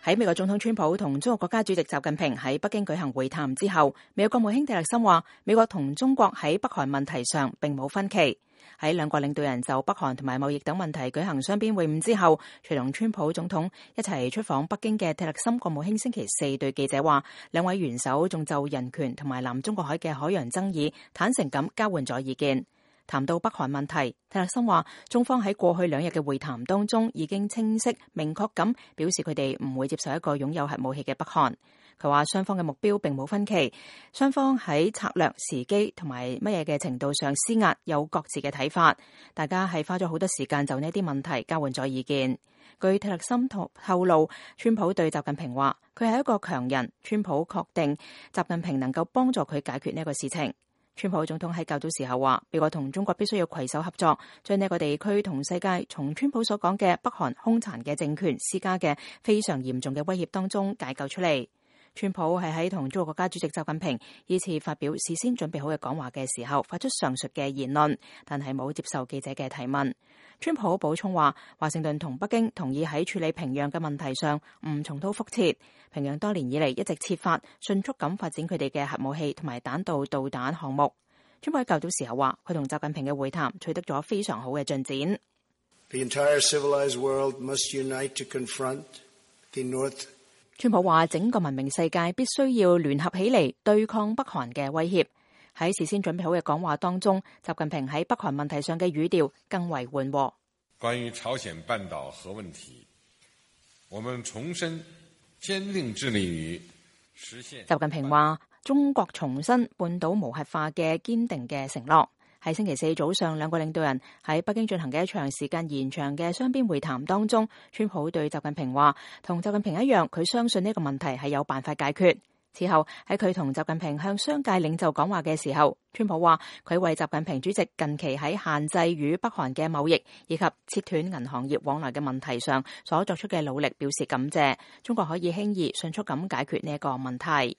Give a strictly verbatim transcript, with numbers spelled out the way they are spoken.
喺美國總統川普同中國國家主席習近平喺北京舉行會談之後，美國國務卿蒂勒森話：美國同中國喺北韓問題上並冇分歧。喺兩國領導人就北韓同埋貿易等問題舉行雙邊會晤之後，隨同川普總統一齊出訪北京嘅蒂勒森國務卿星期四對記者話：兩位元首仲就人權同埋南中國海嘅海洋爭議坦誠咁交換咗意見。談到北韓問題，蒂勒森話：中方喺過去兩日嘅會談當中已經清晰明確咁表示佢哋唔會接受一個擁有核武器嘅北韓。佢話雙方嘅目標並冇分歧，雙方喺策略、時機同埋乜嘢嘅程度上施壓有各自嘅睇法。大家係花咗好多時間就呢啲問題交換咗意見。據蒂勒森透露，川普對習近平話：佢係一個強人，川普確定習近平能夠幫助佢解決呢個事情。川普總統喺較早時候話，美國同中國必須要攜手合作，將呢個地區同世界從川普所講嘅北韓兇殘嘅政權施加嘅非常嚴重嘅威脅當中解救出嚟。川普係喺同中國國家主席習近平依次發表事先準備好嘅講話嘅時候發出上述嘅言論，但係冇接受記者嘅提問。川普補充話，華盛頓同北京同意喺處理平壤嘅問題上唔重蹈覆轍。平壤多年以嚟一直設法迅速咁發展佢哋嘅核武器同埋彈道導彈項目。川普喺較早時候話，佢同習近平嘅會談取得咗非常好嘅進展。The entire civilized world must unite to confront the North. 川普話，整個文明世界必須要聯合起嚟對抗北韓嘅威脅。喺事先準備好嘅講話當中，習近平喺北韓問題上嘅語調更為緩和。關於朝鮮半島核問題，我們重申堅定致力於實現。習近平話，中國重申半島無核化嘅堅定嘅承諾。喺星期四早上，兩個領導人喺北京進行嘅一場時間延長嘅雙邊會談當中，川普對習近平話，同習近平一樣，佢相信呢個問題係有辦法解決。此後喺佢同習近平向商界領袖講話嘅時候，川普話佢為習近平主席近期喺限制與北韓嘅貿易以及切斷銀行業往來嘅問題上所作出嘅努力表示感謝，中國可以輕易迅速咁解決呢一個問題。